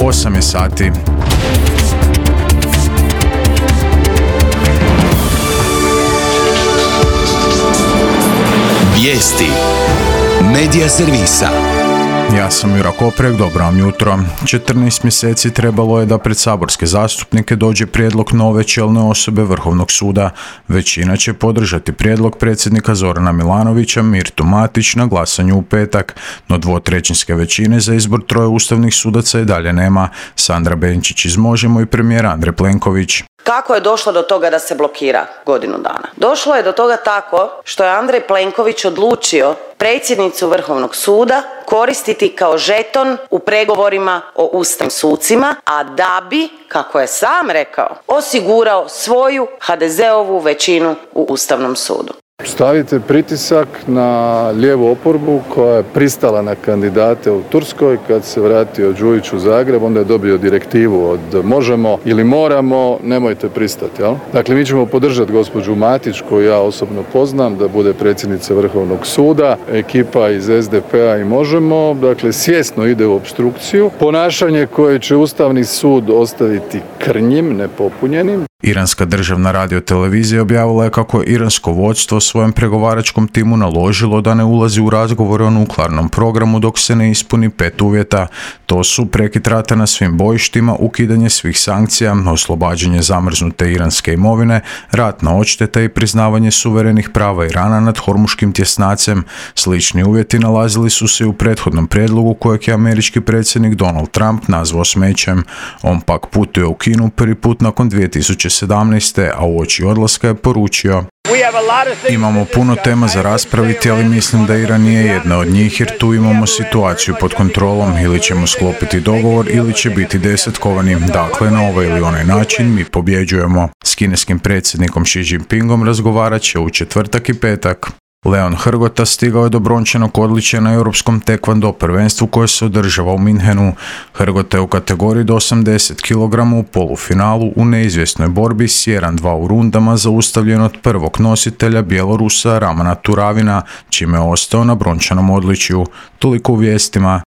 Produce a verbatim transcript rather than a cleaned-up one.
osam je sati. Vijesti Medija servisa. Ja sam Jura Koprek, dobro vam jutro. četrnaest mjeseci trebalo je da pred saborske zastupnike dođe prijedlog nove čelne osobe Vrhovnog suda. Većina će podržati prijedlog predsjednika Zorana Milanovića, Mirtu Matić, na glasanju u petak, no dvotrećinske većine za izbor troje ustavnih sudaca i dalje nema. Sandra Benčić iz Možemo i premijer Andrej Plenković. Kako je došlo do toga da se blokira godinu dana? Došlo je do toga tako što je Andrej Plenković odlučio predsjednicu Vrhovnog suda koristiti kao žeton u pregovorima o ustavnim sucima, a da bi, kako je sam rekao, osigurao svoju ha de zeovu većinu u Ustavnom sudu. Stavite pritisak na lijevu oporbu koja je pristala na kandidate u Turskoj. Kad se vratio Đujić u Zagreb, onda je dobio direktivu od možemo ili moramo, nemojte pristati. Jel? Dakle, mi ćemo podržati gospođu Matić, koju ja osobno poznam, da bude predsjednica Vrhovnog suda. Ekipa iz es de pe a i Možemo, dakle, svjesno ide u opstrukciju. Ponašanje koje će Ustavni sud ostaviti krnjim, nepopunjenim. Iranska državna radiotelevizija objavila je kako je iransko vodstvo svojem pregovaračkom timu naložilo da ne ulazi u razgovore o nuklearnom programu dok se ne ispuni pet uvjeta. To su prekid rata na svim bojištima, ukidanje svih sankcija, oslobađanje zamrznute iranske imovine, ratna odšteta i priznavanje suverenih prava Irana nad hormuškim tjesnacem. Slični uvjeti nalazili su se u prethodnom prijedlogu kojeg je američki predsjednik Donald Trump nazvao smećem. On pak putuje u Kinu prvi put nakon dvije tisuće sedamnaeste. a uoči odlaska je poručio: imamo puno tema za raspraviti, ali mislim da Iran nije jedna od njih jer tu imamo situaciju pod kontrolom, ili ćemo sklopiti dogovor ili će biti desetkovani. Dakle, na ovaj ili onaj način mi pobjeđujemo. S kineskim predsjednikom Xi Jinpingom razgovarat će u četvrtak i petak. Leon Hrgota stigao je do brončanog odličja na europskom tekvando prvenstvu koje se održava u Minhenu. Hrgota je u kategoriji do osamdeset kilograma u polufinalu u neizvjesnoj borbi s jedan dva u rundama zaustavljen od prvog nositelja Bjelorusa Ramana Turavina, čime je ostao na brončanom odličju. Toliko u vijestima.